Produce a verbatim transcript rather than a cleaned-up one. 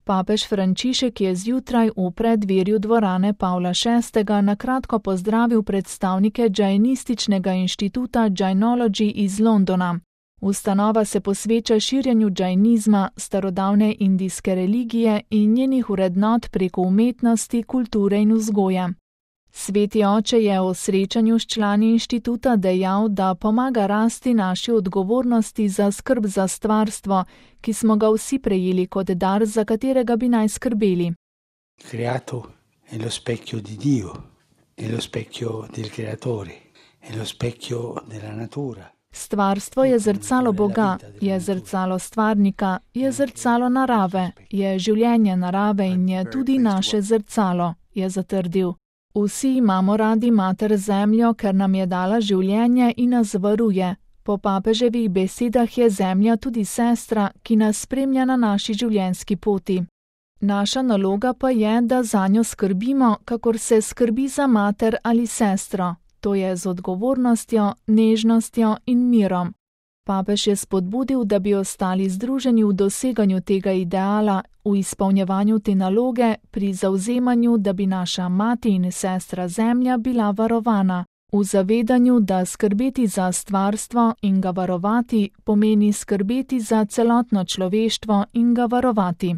Papež Frančišek je zjutraj v preddverju dvorane Pavla šestega na kratko pozdravil predstavnike Džajnističnega inštituta Džajnology iz Londona. Ustanova se posveča širjenju džajnizma, starodavne indijske religije in njenih vrednot preko umetnosti, kulture in vzgoje. Sveti oče je o srečanju s člani inštituta dejal, da pomaga rasti naši odgovornosti za skrb za stvarstvo, ki smo ga vsi prejeli kot dar, za katerega bi naj skrbeli. Creato è lo specchio di Dio, è lo specchio del creatore, è lo specchio della natura. Stvarstvo je zrcalo Boga, je zrcalo stvarnika, je zrcalo narave, je življenje narave in je tudi naše zrcalo, je zatrdil. Vsi imamo radi mater zemljo, ker nam je dala življenje in nas varuje. Po papeževih besedah je zemlja tudi sestra, ki nas spremlja na naši življenjski poti. Naša naloga pa je, da zanjo skrbimo, kakor se skrbi za mater ali sestro. To je z odgovornostjo, nežnostjo in mirom. Papež je spodbudil, da bi ostali združeni v doseganju tega ideala, v izpolnjevanju te naloge, pri zavzemanju, da bi naša mati in sestra zemlja bila varovana, v zavedanju, da skrbeti za stvarstvo in ga varovati pomeni skrbeti za celotno človeštvo in ga varovati.